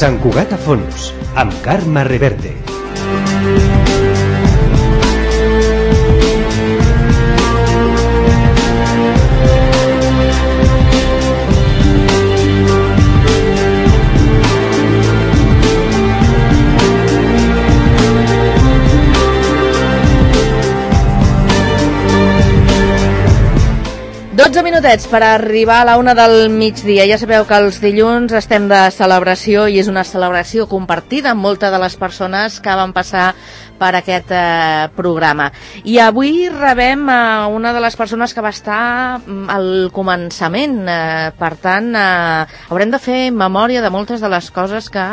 Sant Cugat a fons, amb Carme Reverte. Minutets per arribar a la 1 del migdia. Ja sabeu que els dilluns estem de celebració i és una celebració compartida amb moltes de les persones que van passar per aquest programa. I avui rebem una de les persones que va estar al començament. Per tant, haurem de fer memòria de moltes de les coses que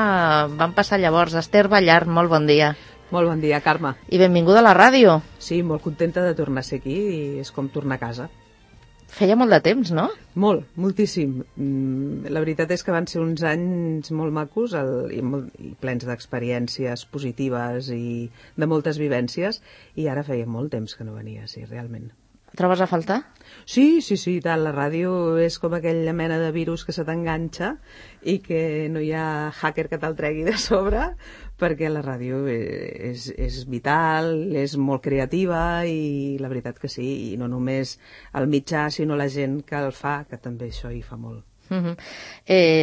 van passar llavors. Esther Ballart, molt bon dia. Molt bon dia, Carme. I benvinguda a la ràdio. Sí, molt contenta de tornar a ser aquí i és com tornar a casa. Feia molt de temps, no? Molt, moltíssim. La veritat és que van ser uns anys molt macos i plens d'experiències positives i de moltes vivències, i ara feia molt temps que no venia, sí, realment. Trobes a faltar? Sí, tant. La ràdio és com aquella mena de virus que se t'enganxa i que no hi ha hacker que te'l tregui de sobre, perquè la ràdio és vital, és molt creativa i la veritat que sí, i no només el mitjà, sinó la gent que el fa, que també això hi fa molt.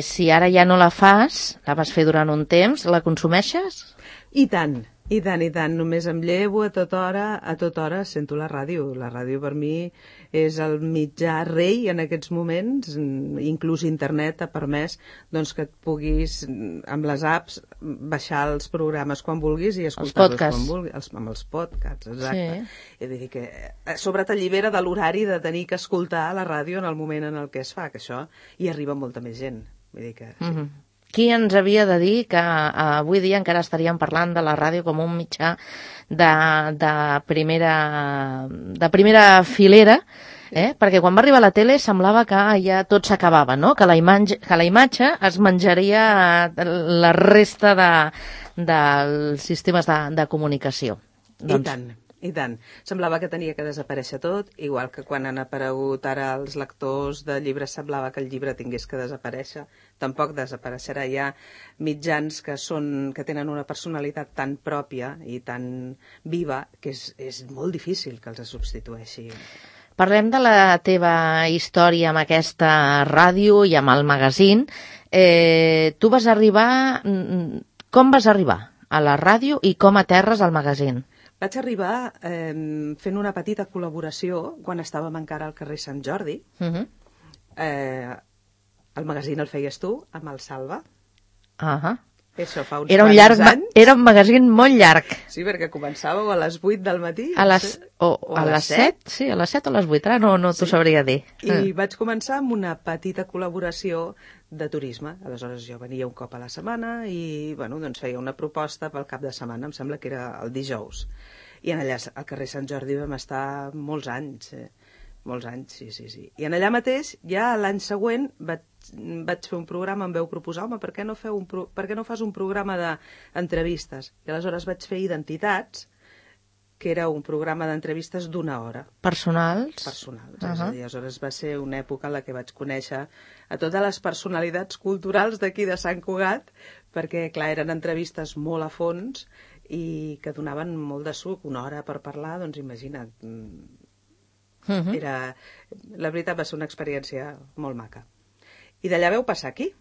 Si ara ja no la fas, la vas fer durant un temps, la consumeixes? I tant. Només em llevo a tota hora sento la ràdio. La ràdio per mi és el mitjà rei en aquests moments, inclús internet ha permès doncs, que et puguis, amb les apps, baixar els programes quan vulguis i escoltar-los quan vulguis. Amb els podcasts, exacte. Sí. És a dir, que a sobre t'allibera de l'horari de tenir que escoltar la ràdio en el moment en el que es fa, que això hi arriba molta més gent. Vull dir que... Sí. Qui ens havia de dir que avui dia encara estaríem parlant de la ràdio com un mitjà de primera filera, perquè quan va arribar la tele semblava que ja tot s'acabava, no? Que la imatge es menjaria la resta dels sistemes de comunicació. I tant. Semblava que tenia que desaparèixer tot, igual que quan han aparegut ara els lectors de llibres semblava que el llibre tingués que desaparèixer. Tampoc desapareixerà. Hi ha mitjans que tenen una personalitat tan pròpia i tan viva que és molt difícil que els substitueixi. Parlem de la teva història amb aquesta ràdio i amb el magazín. Tu vas arribar... Com vas arribar a la ràdio i com aterres al magazín? Vaig arribar fent una petita col·laboració quan estàvem encara al carrer Sant Jordi. El magazín el feies tu, amb el Salva. Això fa uns quants anys. Era un magazín molt llarg. Sí, perquè començàveu a les 8 del matí. A les 7? Sí, a les 7 o a les 8, ara no t'ho sabria dir. I vaig començar amb una petita col·laboració de turisme. Aleshores jo venia un cop a la setmana i doncs feia una proposta pel cap de setmana, em sembla que era el dijous. I en allà al carrer Sant Jordi vam estar molts anys, sí. I en allà mateix, ja l'any següent, vaig fer un programa, em veu proposar, home, per què no fas un programa d'entrevistes? I aleshores vaig fer Identitats, que era un programa d'entrevistes d'una hora. Personals? Personals, és a dir, aleshores va ser una època en la que vaig conèixer a totes les personalitats culturals d'aquí de Sant Cugat, perquè, clar, eren entrevistes molt a fons i que donaven molt de suc, una hora per parlar, doncs imagina't. La veritat va ser una experiència molt maca. I d'allà veu passar aquí,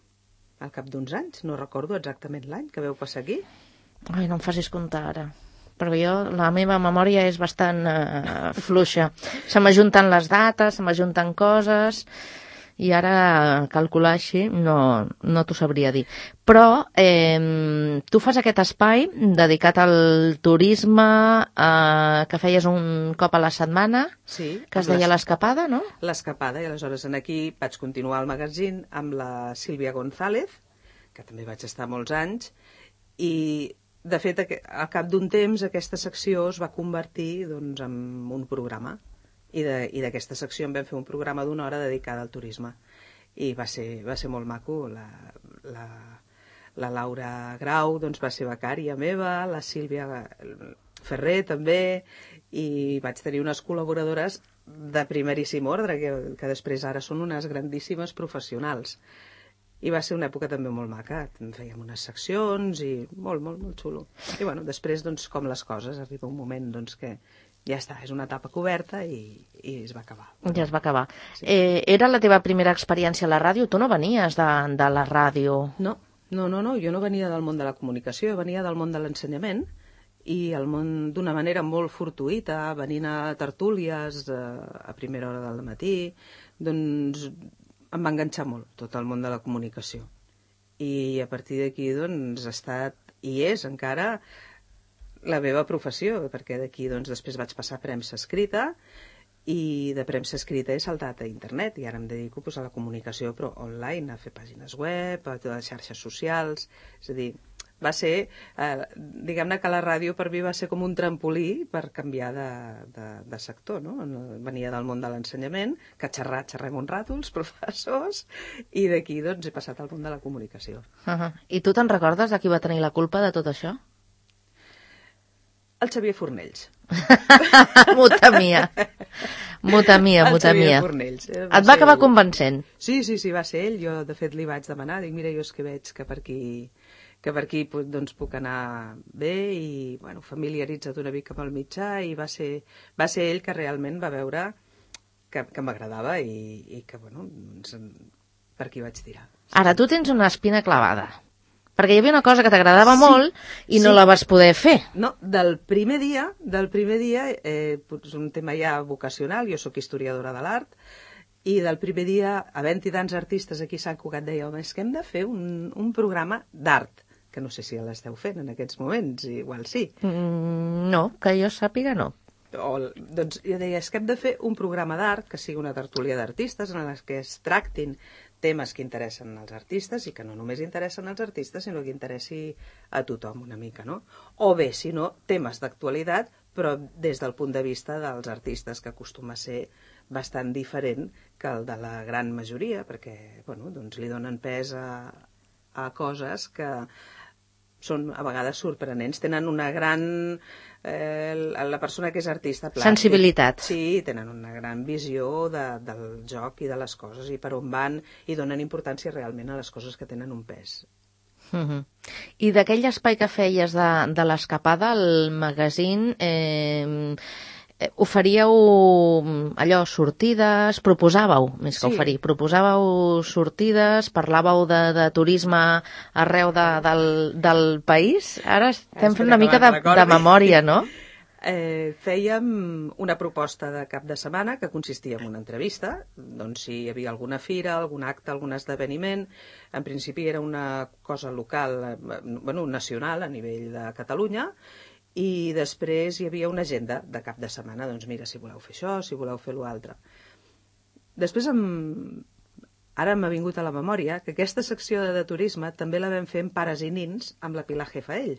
al cap d'uns anys, no recordo exactament l'any que veu passar aquí. Ai, no em facis comptar ara, perquè la meva memòria és bastant fluixa. Se m'ajunten les dates, se m'ajunten coses, i ara calcular així no t'ho sabria dir. Però tu fas aquest espai dedicat al turisme que feies un cop a la setmana, sí, que es deia l'Escapada, no? L'Escapada, i aleshores aquí vaig continuar el magazín amb la Sílvia González, que també vaig estar molts anys, i de fet al cap d'un temps aquesta secció es va convertir doncs, en un programa. I d'aquesta secció en vam fer un programa d'una hora dedicada al turisme i va ser molt maco. La Laura Grau doncs, va ser becària meva, la Sílvia Ferrer també, i vaig tenir unes col·laboradores de primeríssim ordre que després ara són unes grandíssimes professionals. I va ser una època també molt maca. Fèiem unes seccions i molt, molt, molt xulo. I bueno, després, doncs, com les coses, arriba un moment doncs, que ja està, és una etapa coberta i es va acabar. Ja es va acabar. Sí. Era la teva primera experiència a la ràdio? Tu no venies de la ràdio? No, jo no venia del món de la comunicació, venia del món de l'ensenyament i el món d'una manera molt fortuïta, venint a tertúlies a primera hora del matí, doncs em va enganxar molt tot el món de la comunicació. I a partir d'aquí doncs ha estat, i és encara, la meva professió, perquè d'aquí doncs després vaig passar a premsa escrita i de premsa escrita he saltat a internet i ara em dedico doncs, a la comunicació però online, a fer pàgines web, a totes les xarxes socials, és a dir, va ser, diguem-ne que la ràdio per mi va ser com un trampolí per canviar de sector, no? Venia del món de l'ensenyament, que xerrem un rato, els professors, i d'aquí doncs he passat al món de la comunicació. I tu te'n recordes de qui va tenir la culpa de tot això? El Xavier Fornells. M'ho temia. El Xavier Fornells. Et va acabar convencent? Sí, va ser ell. Jo, de fet, li vaig demanar. Dic, mira, jo és que veig que per aquí doncs, puc anar bé i bueno, familiaritza't una mica amb el mitjà i va ser ell que realment va veure que m'agradava i que, bueno, per aquí vaig tirar. Ara, tu tens una espina clavada. Perquè hi havia una cosa que t'agradava molt i no la vas poder fer. No, del primer dia, és un tema ja vocacional, jo sóc historiadora de l'art, i del primer dia, havent-hi tants artistes aquí a Sant Cugat, deia, home, és que hem de fer un programa d'art, que no sé si l'esteu fent en aquests moments, igual sí. No, que jo sàpiga no. Doncs jo deia, és que hem de fer un programa d'art, que sigui una tertúlia d'artistes, en les que es tractin temes que interessen als artistes i que no només interessen als artistes, sinó que interessi a tothom una mica, no? O bé, si no, temes d'actualitat, però des del punt de vista dels artistes, que acostuma a ser bastant diferent que el de la gran majoria, perquè bueno, doncs li donen pes a coses que són a vegades sorprenents, tenen una gran... la persona que és artista plàstic. Sensibilitat. Sí, tenen una gran visió del joc i de les coses i per on van i donen importància realment a les coses que tenen un pes. I d'aquell espai que feies de l'escapada, el magazín... oferíeu allò, sortides, proposàveu, més que oferir, proposàveu sortides, parlàveu de turisme arreu del país? Ara estem fent una mica de memòria, no? Fèiem una proposta de cap de setmana que consistia en una entrevista, doncs si hi havia alguna fira, algun acte, algun esdeveniment. En principi era una cosa local, bueno, nacional a nivell de Catalunya, i després hi havia una agenda de cap de setmana, doncs mira, si voleu fer això, si voleu fer l'altre. Després, ara m'ha vingut a la memòria que aquesta secció de turisme també la vam fer en Pares i Nins amb la Pilar Jefaell,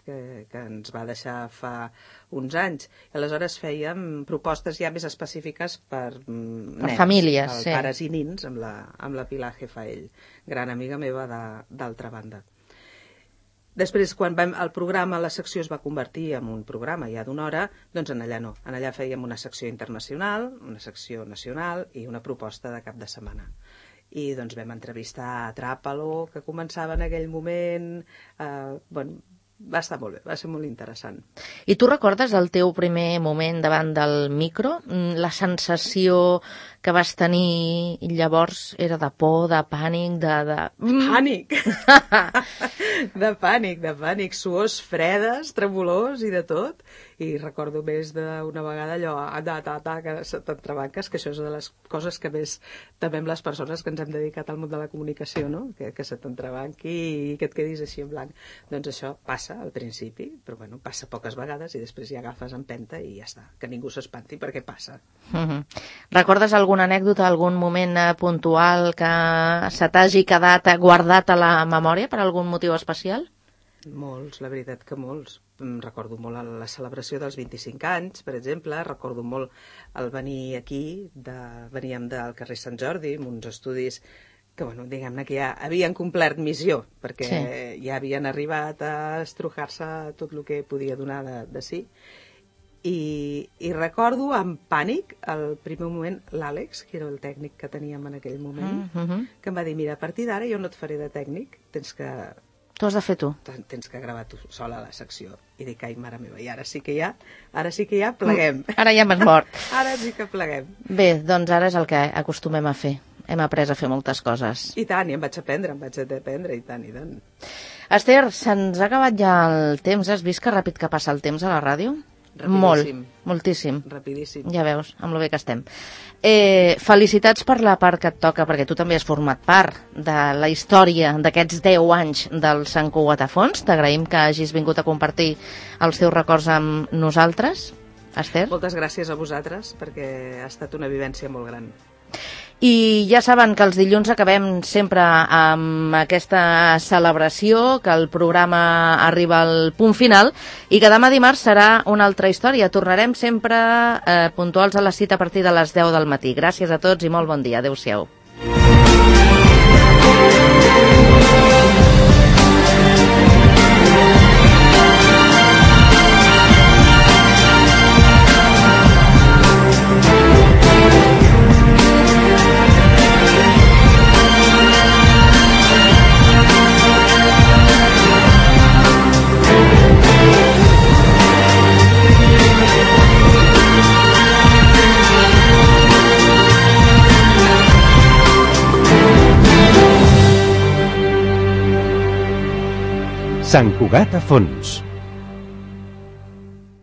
que ens va deixar fa uns anys. I aleshores fèiem propostes ja més específiques per nens, famílies, per Pares i Nins amb la Pilar Jefaell, gran amiga meva d'altra banda. Després, quan el programa, la secció es va convertir en un programa ja d'una hora, doncs en allà no. En allà fèiem una secció internacional, una secció nacional i una proposta de cap de setmana. I doncs vam entrevistar a Tràpalo, que començava en aquell moment. Bueno, va estar molt bé, va ser molt interessant. I tu recordes el teu primer moment davant del micro? La sensació que vas tenir llavors era de por, de pànic, Pànic! de pànic, suors fredes, tremolors i de tot. I recordo més d'una vegada allò, que se t'entrebanques, que això és de les coses que més temem les persones que ens hem dedicat al món de la comunicació, no? Que se t'entrebanqui i que et quedis així en blanc. Doncs això passa al principi, però bueno, passa poques vegades i després ja agafes empenta i ja està, que ningú s'espanti perquè passa. Recordes alguna anècdota, algun moment puntual que se t'hagi quedat guardat a la memòria per algun motiu especial? Molts, la veritat que molts. Recordo molt la celebració dels 25 anys, per exemple, recordo molt el venir aquí, veníem del carrer Sant Jordi, amb uns estudis que, bueno, diguem-ne que ja havien complert missió, perquè ja havien arribat a estrujar-se tot el que podia donar de si. I recordo amb pànic, al primer moment, l'Àlex, que era el tècnic que teníem en aquell moment, que em va dir, mira, a partir d'ara jo no et faré de tècnic, Tu has de fer tu. Tens que gravar tu sola la secció. I dic, ai, mare meva, i ara sí que ja pleguem. Ara ja m'has mort. Ara sí que pleguem. Bé, doncs ara és el que acostumem a fer. Hem après a fer moltes coses. I tant, i em vaig aprendre, i tant, i tant. Esther, se'ns ha acabat ja el temps. Has vist que ràpid que passa el temps a la ràdio? Rapidíssim. Moltíssim. Rapidíssim. Ja veus, amb lo bé que estem. Felicitats per la part que et toca, perquè tu també has format part de la història d'aquests 10 anys del Sant Cugat a Fons. T'agraïm que hagis vingut a compartir els teus records amb nosaltres, Esther. Moltes gràcies a vosaltres, perquè ha estat una vivència molt gran. I ja saben que els dilluns acabem sempre amb aquesta celebració, que el programa arriba al punt final i que demà dimarts serà una altra història. Tornarem sempre puntuals a la cita a partir de les 10 del matí. Gràcies a tots i molt bon dia. Adéu-siau. Sant Cugat a Fons.